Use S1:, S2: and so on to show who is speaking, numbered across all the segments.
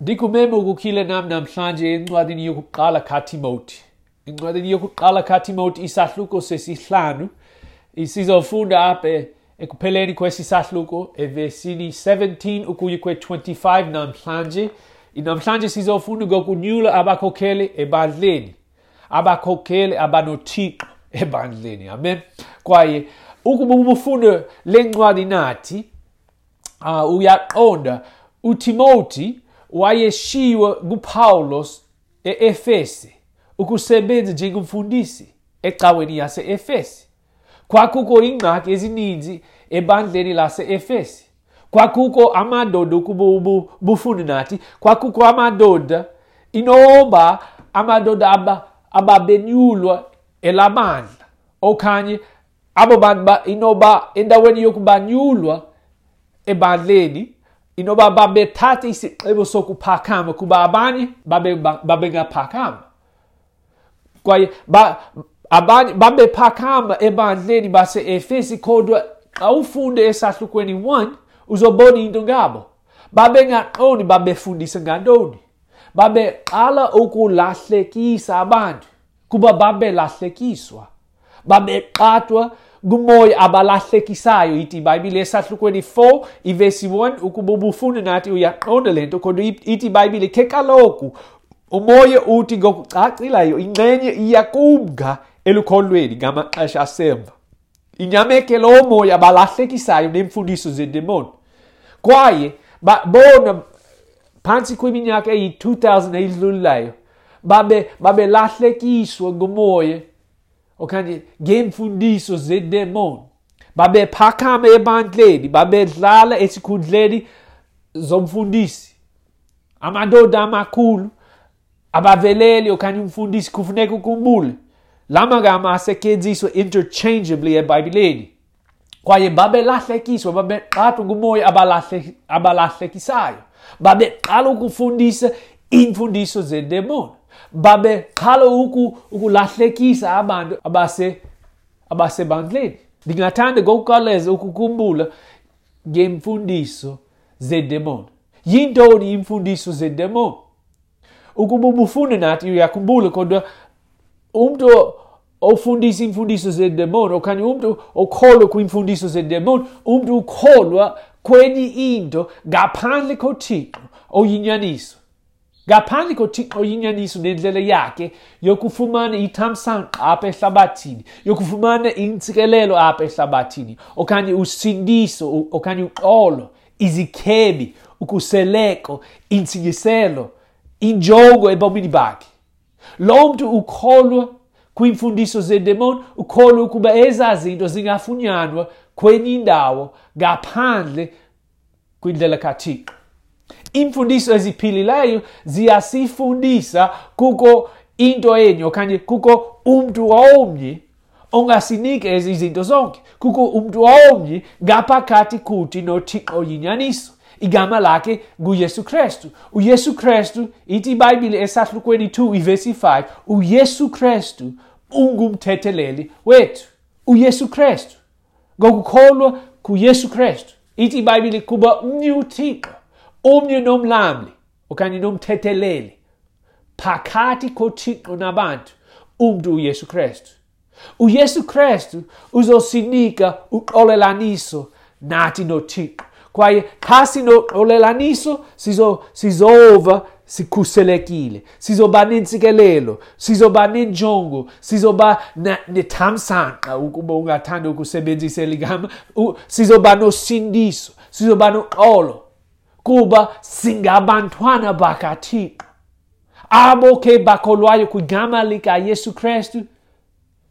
S1: Ndikumema ukukhile nam namhlanje encwadini yokuqala kaTimoti. Encwadini yokuqala kaTimoti isahluko sesihlanu. Sizofunda apha ekupheleni kwesi sahluko evesini 17 ukuya kwe-25 namhlanje. Namhlanje sizofunda ngokunyula abakhokheli ebandleni. Abakhokheli abanoThixo ebandleni. Amen. Kwaye ukuba ubufunda le ncwadi nathi, uyaqonda uTimoti wayeshiywe nguPawulos e-Efese ukusebenza njengomfundisi ecaweni yase-Efese. Kwakukho iingxaki ezininzi ebandleni lase-Efese. Kwakukho amadoda, ukuba ubufunda nathi, kwakukho amadoda, inoba amadoda ababenyulwa elabandla okanye abo bantu inoba endaweni yokubanyulwa ebandleni, inoba babethatha isigqibo sokuphakama kuba abanye babengaphakama. Kwaye abanye babephakama ebandleni base-Efesi, kodwa xa ufunde esahlukweni 1 uzobona into ngabo. Babengaqondi babefundisa ngantoni. Babeqala ukulahlekisa abantu kuba babelahlekiswa. Babeqatwa ngumoya abalahlekisayo. Ithi iBhayibhile esahlukweni 4 ivesi 1, ukuba ubufunda nathi uyaqonda le nto, kodwa ithi iBhayibhile ke kaloku umoya uthi ngokucacileyo ingxenye iyakumka elukholweni ngamaxesha asemva. Inyameke lo moya abalahlekisayo neemfundiso zedemoni. Kwaye bona phantsi kwiminyaka eyi-2000 eyidlulileyo babelahlekiswa ngumoya okanye ngeemfundiso zedemoni. Babephakama ebandleni, babedlala esikhundleni zomfundisi. Amadoda amakhulu abaveleli okanye umfundisi, kufuneka ukhumbule la magama asetyenziswa interchangeably eBhayibhileni. Kwaye babelahlekiswa, babeqatwa ngumoya abalahlekisayo. Babeqala ukufundisa iimfundiso zedemoni. Babeqala ukulahlekisa abantu abasebandleni. Ndingathanda ngokukhawuleza ukukhumbula ngeemfundiso zedemoni. Yintoni iimfundiso zedemoni? Ukuba ubufunda nathi uyakhumbula, kodwa umntu ofundisa iimfundiso zedemoni okanye umntu okholwa kwiimfundiso zedemoni, umntu ukholwa kwenye into ngaphandle koThixo oyinyaniso. Ngaphandle koThixo oyinyaniso nendlela yakhe yokufumana ithamsanqa apha ehlabathini, yokufumana intsikelelo apha ehlabathini, okanye usindiso, okanye uxolo, izikhebi, ukhuseleko, intsingiselo, injongo ebomini bakhe. Lo mntu ukholwa kwiimfundiso zedemoni, ukholwa ukuba ezaa zinto zingafunyanwa kwenye indawo ngaphandle kwindlela kaThixo. Iimfundiso eziphilileyo ziyasifundisa kukho into enye okanye kukho umntu omnye ongasinika ezi zinto zonke. Kukho umntu omnye ngaphakathi kuthi noThixo oyinyaniso. Igama lakhe nguYesu Kristu. UYesu Kristu, ithi iBhayibhile esahlukweni 2 ivesi 5, uYesu Kristu ungumthetheleli wethu. uYesu Kristu. Ngokukholwa kuYesu Kristu. Ithi iBhayibhile kuba mnye uThixo, omnye nomlamli okanye nomthetheleli phakathi koThixo nabantu, umntu uYesu Kristu. uYesu Kristu uzosinika uxolelaniso nathi noThixo. Kwaye xa sinoxolelaniso sizova sikhuselekile, sizoba nentsikelelo, sizoba nenjongo, sizoba nethamsanqa, ukuba ungathanda ukusebenzisa eli gama, sizoba nosindiso, sizoba noxolo, kuba singabantwana bakaThixo. Abo ke bakholwayo kwigama likaYesu Kristu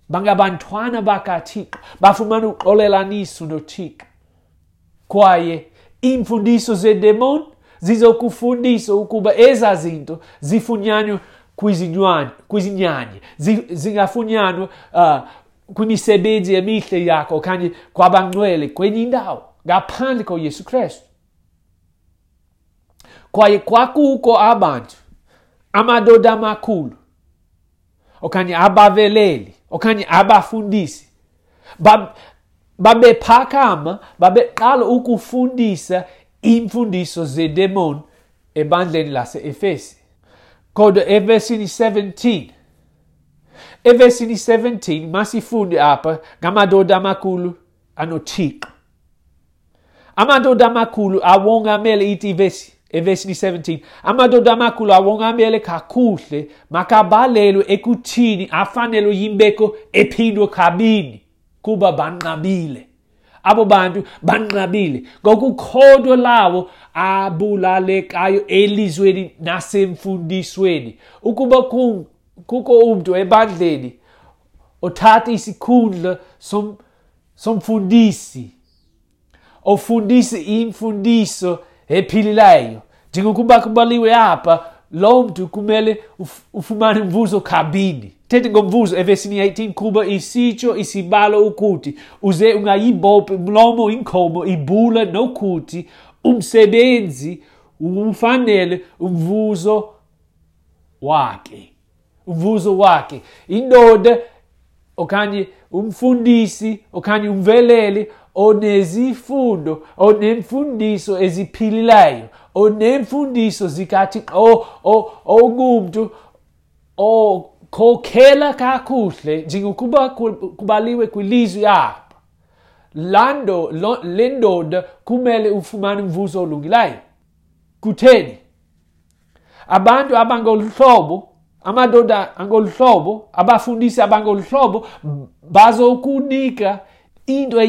S1: bangabantwana bakaThixo, bafumana uxolelaniso noThixo. Kwaye iimfundiso zedemoni zizokufundisa ukuba ezaa zinto zifunyanwa kwizinyanya, zingafunyanwa kwimisebenzi emihle yakho okanye kwabangcwele kwenye indawo ngaphandle koYesu Kristu. Kwaye kwakukho abantu, amadoda amakhulu okanye abaveleli okanye abafundisi, babephakama, babeqala ukufundisa iimfundiso zedemoni ebandleni lase-Efesi. Kodwa evesini 17, evesini 17 masifunde apha ngamadoda amakhulu anoThixo. Amadoda amakhulu awongamele, ithi ivesi evesini 17, amadoda amakhulu awongamele kakuhle makabalelwe ekuthini afanelwe yimbeko ephindwe kabini, kuba banqabile. Abo bantu banqabile ngokukholwa lawo abulalekayo elizweni nasemfundisweni. Ukuba kukho umntu ebandleni othatha isikhundla somfundisi, ofundisa imfundiso ephilileyo, njengokuba kubaliwe apha, lo mntu kumele ufumane umvuzo kabini. Thethe ngomvuzo evesini 18, kuba isitsho isibalo ukuthi uze ungayibophi umlomo inkomo ibula, nokuthi umsebenzi ufanele umvuzo wakhe. Umvuzo wakhe. Indoda okanye umfundisi okanye umveleli onezifundo, onemfundiso eziphilileyo, onemfundiso zikaThixo, ongumntu okhokhela kakuhle njengokuba kubaliwe kwilizwi apha, le ndoda kumele ufumane umvuzo olungileyo. Kutheni? Abantu abangoluhlobo, amadoda angoluhlobo, abafundisi abangoluhlobo bazokunika into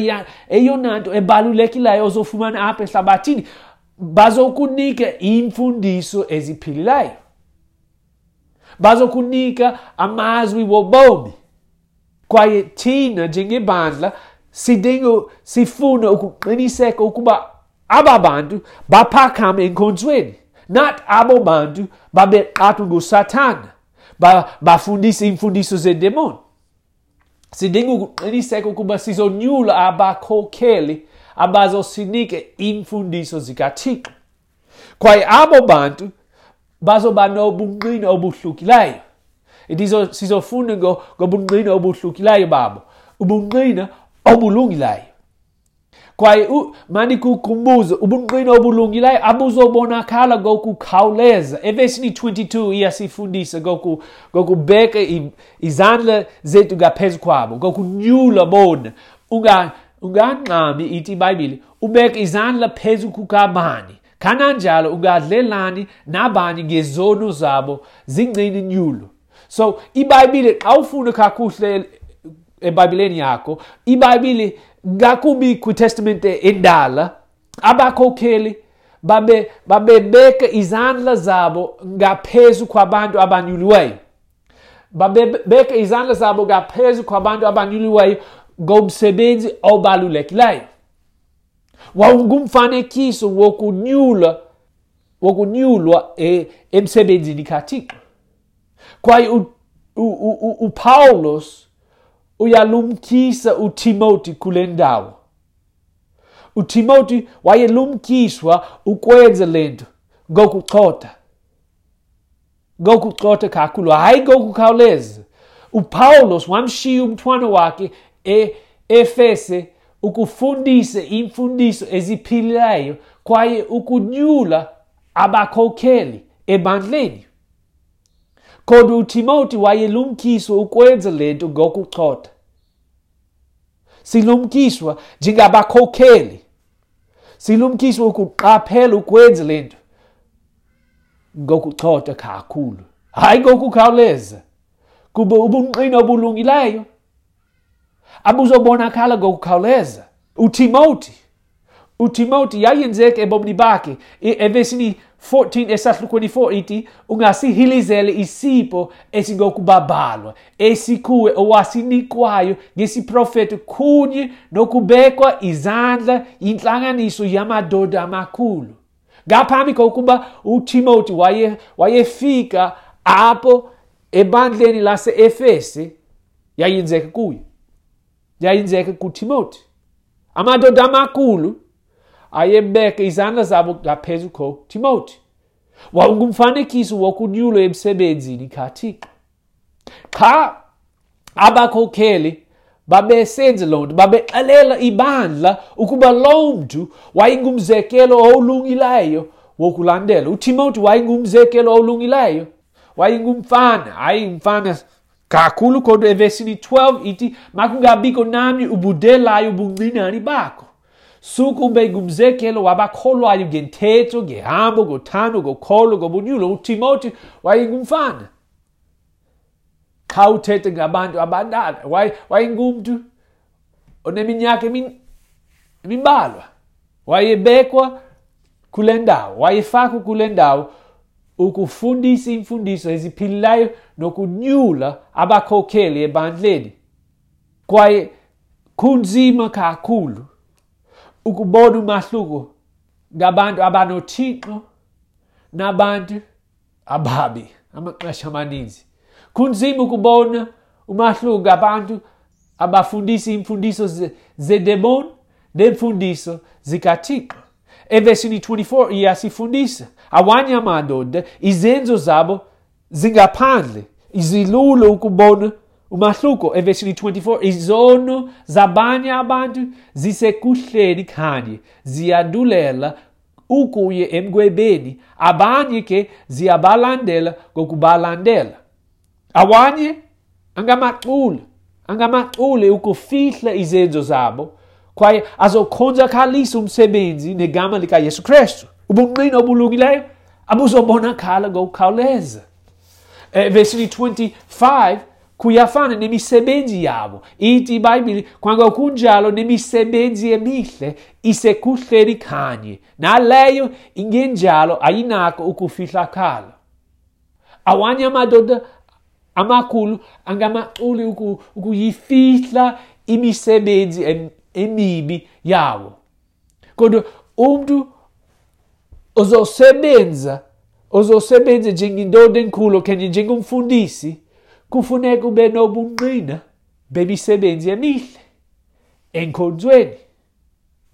S1: eyona nto ebalulekileyo ozofumana apha ehlabathini. Bazokunika iimfundiso eziphilileyo, bazokunika amazwi wobomi. Kwaye thina njengebandla sifuna ukuqiniseka ukuba aba bantu baphakame enkonzweni, not abo bantu babeqathwa nguSathana, bafundisa iimfundiso zedemoni. Sidinga ukuqiniseka ukuba sizonyula abakhokheli abazosinika iimfundiso zikaThixo. Kwaye abo bantu bazoba nobungqina obuhlukileyo. Sizofunda ngobungqina obuhlukileyo babo, ubungqina obulungileyo. Kwaye mandikukhumbuze, ubungqina obulungileyo abuzobonakala ngokukhawuleza. Evesini 22 iyasifundisa ngokubeka izandla zethu ngaphezu kwabo, ngokunyula bona. Ungangxami, ithi iBhayibhile, ubeke izandla phezu kukabani, kananjalo ungadlelani nabani ngezono zabo, zingcine nyulo. So iBhayibhile, xa ufunda kakuhle eBhayibhileni yakho, iBhayibhile ngakumbi kwiTestamente endala, abakhokheli babebeka izandla zabo ngaphezu kwabantu abanyuliweyo. Babebeka izandla zabo ngaphezu kwabantu abanyuliweyo ngomsebenzi obalulekileyo. Wawungumfanekiso wokunyulwa emsebenzini kaThixo. Kwaye uPawulos uyalumkisa uTimothy kule ndawo. uTimothy wayelumkiswa ukwenza le nto ngokucotha. Ngokucotha kakhulu, hayi ngokukhawuleza. uPawulos wamshiya umntwana wakhe e-Efese ukufundisa iimfundiso eziphilileyo kwaye ukunyula abakhokheli ebandleni. Kodwa uTimothy wayelumkiswa ukwenza le nto ngokucotha. Silumkiswa njengabakhokheli. Silumkiswa ukuqaphela ukwenza le nto ngokucotha kakhulu, hayi ngokukhawuleza, kuba ubungqina obulungileyo abuzobonakala ngokukhawuleza. uTimothy yayenzeka ebomini bakhe. Evesini 14 esahlukweni 4 ithi, ungasihilizeli isipho esingokubabalwa esikuwe owasinikwayo ngesiprofeto kunye nokubekwa izandla yintlanganiso yamadoda amakhulu. Ngaphambi kokuba uTimothy wayefika apho ebandleni lase-Efese, yayenzeka kuye, yayenzeka kuTimothy. Amadoda amakhulu ayebeka izandla zabo ngaphezu koTimothy. Wawungumfanekiso wokunyulwa emsebenzini kaThixo. Xa abakhokheli babesenza loo nto, babexelela ibandla ukuba loo mntu wayengumzekelo olungileyo wokulandela. UTimothy wayengumzekelo olungileyo, wayengumfana, hayi umfana kakhulu, kodwa evesini 12 ithi makungabikho namnye ubudelayo ubuncinane bakho. Suke ube ngumzekelo wabakholwayo ngentetho, ngehambo, ngothando, ngokholo, ngobunyulo. UTimothy wayengumfana. Xa uthethe ngabantu abadala, wayengumntu oneminyaka emimbalwa. Wayebekwa kule ndawo, wayefakwa kule ndawo ukufundisa iimfundiso eziphilileyo nokunyula abakhokheli ebandleni. Kwaye kunzima kakhulu ukubona umahluko ngabantu abanoThixo nabantu ababi amaxesha amaninzi. Kunzima ukubona umahluko ngabantu abafundisa iimfundiso zedemoni neemfundiso zikaThixo. Evesini 24 iyasifundisa awanye amadoda izenzo zabo zingaphandle, izilula ukubona umahluko. Evesini 24, izono zabanye abantu zisekuhleni kanye, ziyandulela ukuye emgwebeni, abanye ke ziyabalandela ngokubalandela. Awanye angamacule ukufihla izenzo zabo, kwaye azokhonzakalisa umsebenzi negama likaYesu Kristu. Ubungqina obulungileyo abuzobonakala ngokukhawuleza. Evesini 25 kuyafana nemisebenzi yabo. Ithi iBhayibhile, kwangokunjalo nemisebenzi emihle isekuhleni kanye, naleyo ingenjalo ayinako ukufihlakala. Awanye amadoda amakhulu angamaculi ukuyifihla imisebenzi emibi yawo. Kodwa umntu ozosebenza njengendoda enkulu okanye njengomfundisi, kufuneka ube nobungqina bemisebenzi emihle enkonzweni,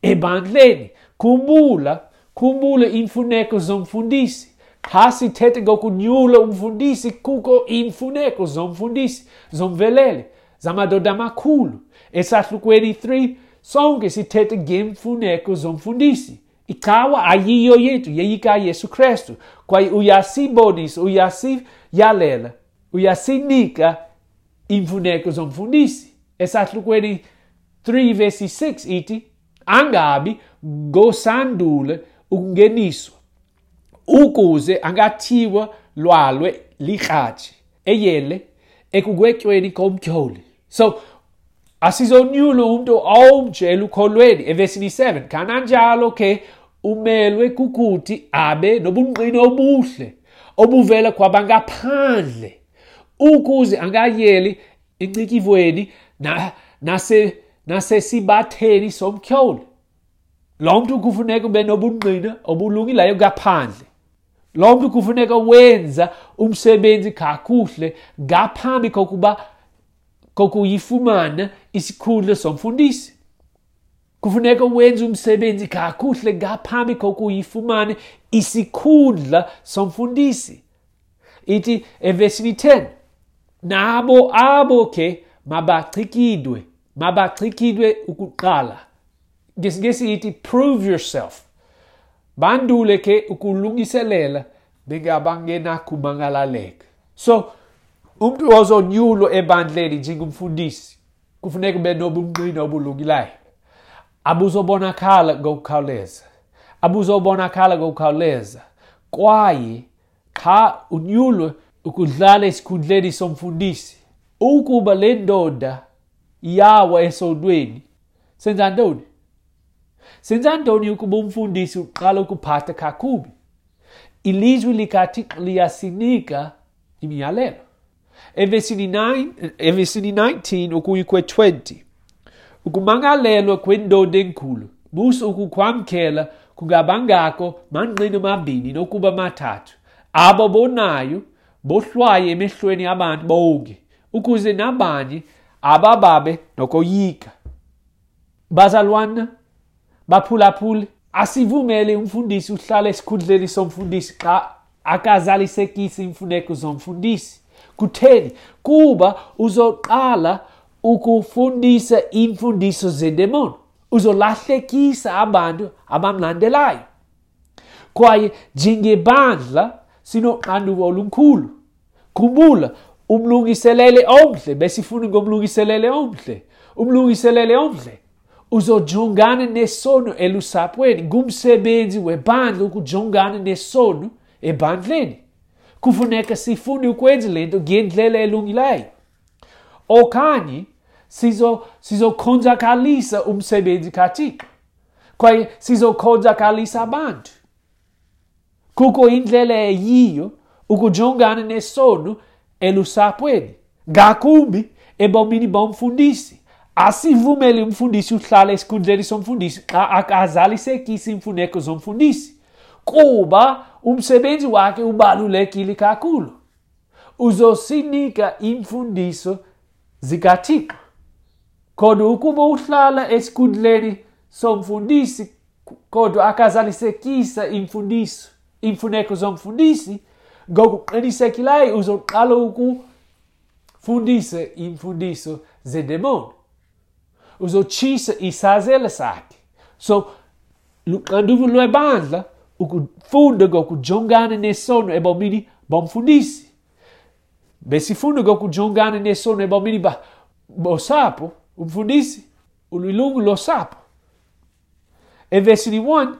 S1: ebandleni. Khumbula iimfuneko zomfundisi. Xa sithethe ngokunyula umfundisi, kukho iimfuneko zomfundisi, zomveleli, zamadoda amakhulu. Esahlukweni 3 sonke sithethe ngeemfuneko zomfundisi. Icawa ayiyo yethu, yeyikaYesu Kristu. Kwaye uyasibonisa, uyasiyalela, uyasinika iimfuneko zomfundisi. Esahlukweni 3 verse 6 ithi, angabi ngosandule ukungeniswa, ukuze angathiwa lwalwe likratshi eyele ekugwetyweni komtyholi. So asizonyula umntu omtsha elukholweni. Evesini 7, kananjalo ke umelwe kukuthi abe nobungqina obuhle obuvela kwabangaphandle, ukuze angayeli encikivweni nasesibatheni somtyholi. Lo mntu kufuneka ube nobungqina obulungileyo ngaphandle. Lo mntu kufuneka wenza umsebenzi kakuhle ngaphambi kokuyifumana isikhundla somfundisi. Kufuneka wenze umsebenzi kakuhle ngaphambi kokuyifumana isikhundla somfundisi. Ithi evesini 10, nabo abo ke mabachikidwe ukuqala. NgesiNgesi ithi prove yourself. Bandule ke ukulungiselela bengabangenakumangalaleka. So umntu ozonyulwa ebandleni njengomfundisi kufuneka ube nobungqina obulungileyo. Abuzobonakala ngokukhawuleza. Abuzobonakala ngokukhawuleza. Kwaye xa unyulwe ukudlala esikhundleni somfundisi, ukuba le ndoda iyawa esondweni, senza ntoni? Senza ntoni ukuba umfundisi uqala ukuphatha kakubi? Ilizwi likaThixo liyasinika imiyalelo. Evesini 19 ukuya kwe-20, ukumangalelwa kwendoda enkulu, musa ukukwamkela kungabangako mangqina mabini nokuba mathathu. Abo bonayo bohlwaye emehlweni abantu bonke, ukuze nabanye abababe nokoyika. Bazalwana, baphulaphuli, asivumele umfundisi uhlale esikhundleni somfundisi xa akazalisekisi iimfuneko zomfundisi. Kutheni? Kuba uzoqala ukufundisa iimfundiso zedemoni. Uzolahlekisa abantu abamlandelayo. Kwaye njengebandla sinoxanduva olukhulu. Khumbula, umlungiseleli omhle, besifuna ngomlungiseleli omhle. Umlungiseleli omhle uzojongana nesono elusapweni. Ngumsebenzi webandla ukujongana nesono ebandleni. Kufuneka sifunde ukwenza le nto ngendlela elungileyo, okanye sizokonzakalisa umsebenzi kaThixo, kwaye sizokonzakalisa abantu. Kukho indlela eyiyo ukujongana nesono elusapweni, ngakumbi ebomini bomfundisi. Asivumeli umfundisi uhlale esikhundleni somfundisi xa akazalisekisi iimfuneko zomfundisi, kuba umsebenzi wakhe ubalulekile kakhulu. Uzosinika iimfundiso zikaThixo. Kodwa ukuba uhlala esikhundleni somfundisi kodwa akazalisekisa imfundiso, iimfuneko zomfundisi, ngokuqinisekileyo uzoqala ukufundisa iimfundiso zedemoni. Uzotshisa isazela sakhe. So luxanduva lwebandla ukufunda ngokujongana nesono ebomini bomfundisi. Besifunda ngokujongana nesono ebomini bosapho. Umfundisi ulilungu losapho. Evesini 1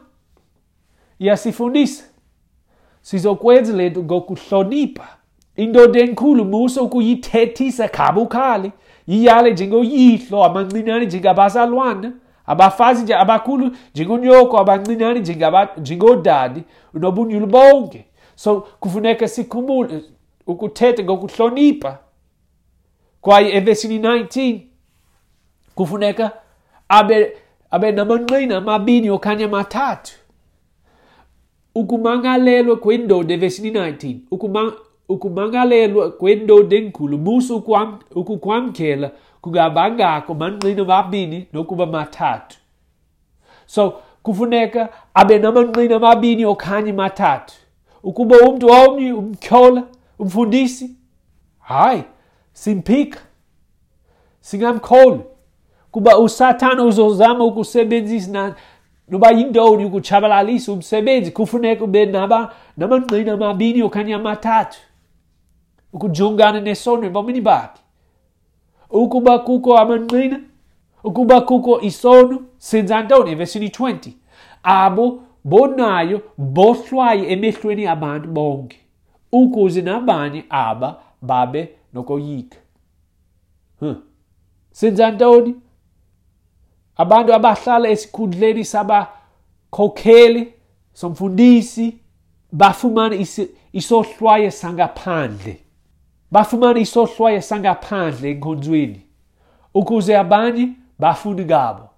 S1: iyasifundisa sizokwenza le nto ngokuhlonipha. Indoda enkulu musa ukuyithethisa kabukhali, yiyale njengoyihlo, abancinane njengabazalwana, abafazi nje abakhulu njengonyoko, abancinane njengodade, unobunyulu bonke. So kufuneka sikhumbule ukuthetha ngokuhlonipha. Kwaye evesini 19 kufuneka abe namangqina amabini okanye amathathu. Ukumangalelwa kwendoda evesini 19, ukumangalelwa kwendoda enkulu, musa ukukwamkela kungabangakho mangqina amabini nokuba mathathu. So kufuneka abe namangqina amabini okanye mathathu. Ukuba umntu omnye umtyhola umfundisi, hayi, simphika, singamkholwi, kuba uSathana uzozama ukusebenzisa noba yintoni ukutshabalalisa umsebenzi. Kufuneka ube namangqina amabini okanye amathathu ukujongana nesono ebomini bakhe. Ukuba kukho amangqina, ukuba kukho isono, senza ntoni? Evesini 20, abo bonayo bohlwaye emehlweni abantu bonke, ukuze nabanye aba babe nokoyika. Senza ntoni? Abantu abahlala esikhundleni sabakhokheli, somfundisi, bafumana isohlwayo sangaphandle. Bafumana isohlwayo sangaphandle enkonzweni, ukuze abanye bafunde ngabo.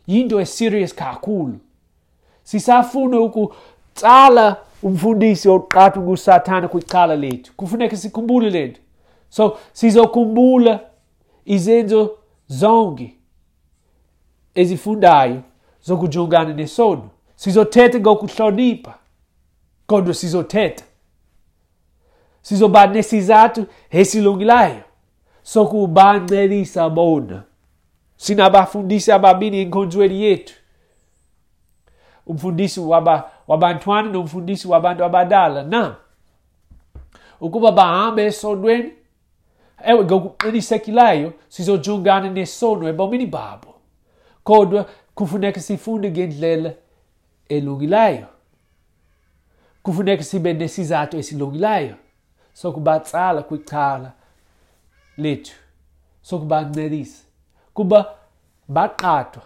S1: Yinto eserious kakhulu. Sisafuna ukutsala umfundisi oqatha nguSathana kwicala lethu. Kufuneka sikhumbule le nto. So sizokhumbula izenzo zonke ezifundayo zokujongana nesono. Sizothetha ngokuhlonipha, kodwa sizothetha. Sizoba nesizathu esilungileyo sokubancelisa bona. Sinabafundisi ababini enkonzweni yethu, umfundisi wabantwana nomfundisi wabantu abadala. Na ukuba bahambe esonweni, ewe, ngokuqinisekileyo sizojongana nesono ebomini babo, kodwa kufuneka sifunde ngendlela elungileyo. Kufuneka sibe nesizathu esilungileyo sokubatsala kwicala lethu, sokubancedisa, kuba baqhathwa.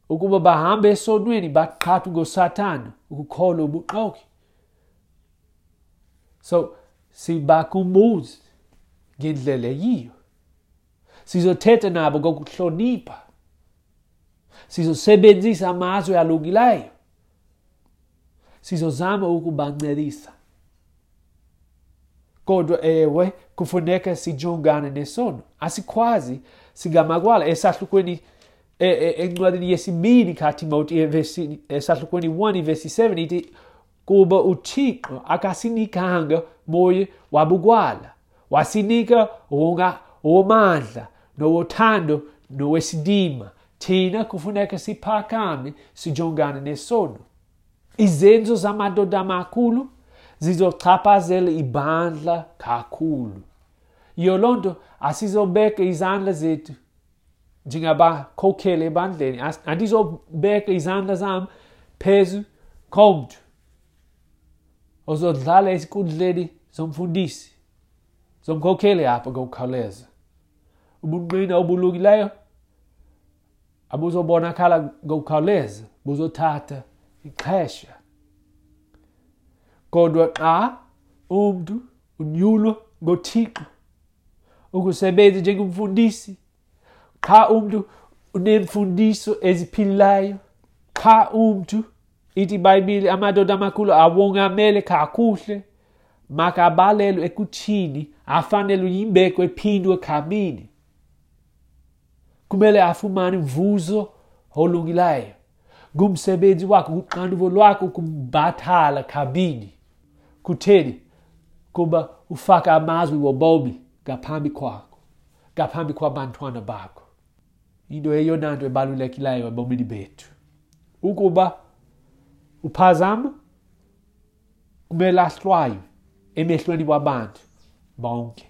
S1: Ukuba bahambe esonweni, baqhathwa ngoSathana ukukholwa ubuxoki. So sibakhumbuze ngendlela eyiyo. Sizothetha nabo ngokuhlonipha. Sizosebenzisa amazwi alungileyo. Sizozama ukubancedisa. Kodwa ewe, kufuneka sijongane nesono. Asikwazi singamagwala. Esahlukweni encwadini yesibini kaTimoti, esahlukweni 1 ivesi 7 ithi, kuba uThixo akasinikanga moya wabugwala, wasinika owamandla nowothando nowesidima. Thina kufuneka siphakame sijongane nesono. Izenzo zamadoda amakhulu zizochaphazela ibandla kakhulu. Yiyo loo nto asizobeka izandla zethu njengabakhokheli ebandleni. Andizobeka izandla zam phezu komntu ozodlala esikhundleni zomfundisi, zomkhokheli apha ngokukhawuleza. Ubungqina obulungileyo abuzobonakala ngokukhawuleza, buzothatha ixesha. Kodwa xa umntu unyulwa ngoThixo ukusebenza njengomfundisi, xa umntu uneemfundiso eziphilileyo, xa umntu ithi iBhayibhile amadoda amakhulu awongamele kakuhle, makabalelwe ekuthini afanelwe yimbeko ephindwe kabini. Kumele afumane umvuzo olungileyo. Ngumsebenzi wakho, nguxanduva lwakho ukumbhatala kabini. Kutheni? Kuba ufaka amazwi wobomi ngaphambi kwakho, ngaphambi kwabantwana bakho. Into eyona nto ebalulekileyo ebomini bethu. Ukuba uphazama, kumele ahlwaywe emehlweni wabantu bonke.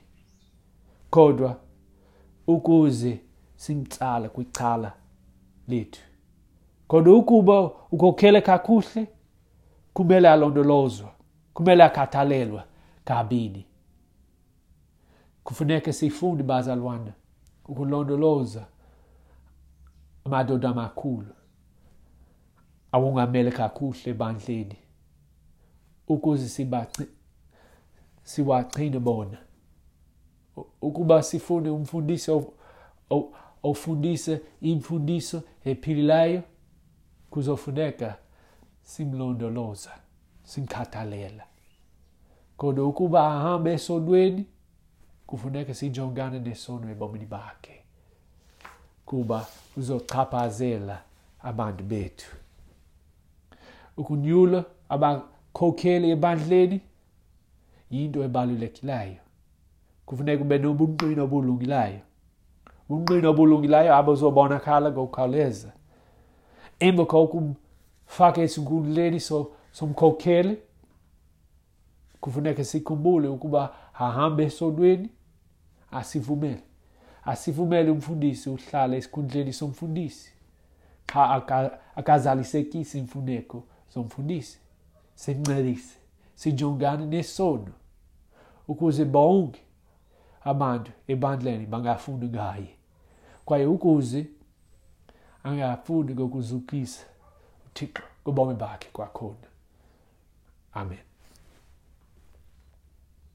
S1: Kodwa ukuze simtsala kwicala lethu. Kodwa ukuba ukhokhele kakuhle, kumele alondolozwe, kumele akhathalelwe kabini. Kufuneka sifunde, bazalwana, ukulondoloza amadoda amakhulu awongamele kakuhle ebandleni ukuze siwagcine bona. Ukuba sifune umfundisi ofundise imfundiso ephilileyo, kuzofuneka simlondoloza, simkhathalela. Kodwa ukuba ahambe esonweni, kufuneka sijongane nesono ebomini bakhe, kuba uzochaphazela abantu bethu. Ukunyula abakhokheli ebandleni yinto ebalulekileyo. Kufuneka ube nobungqina obulungileyo. Ubungqina obulungileyo abuzobonakala ngokukhawuleza. Emva kokumfaka esikhundleni somkhokheli, kufuneka sikhumbule ukuba ahambe esonweni, asivumele. Asivumele umfundisi uhlale esikhundleni somfundisi xa akazalisekisi iimfuneko zomfundisi. Simncedise, sijongane nesono ukuze bonke abantu ebandleni bangafundi ngaye, kwaye ukuze angafundi ngokuzukisa uThixo kubomi bakhe kwakhona. Amen.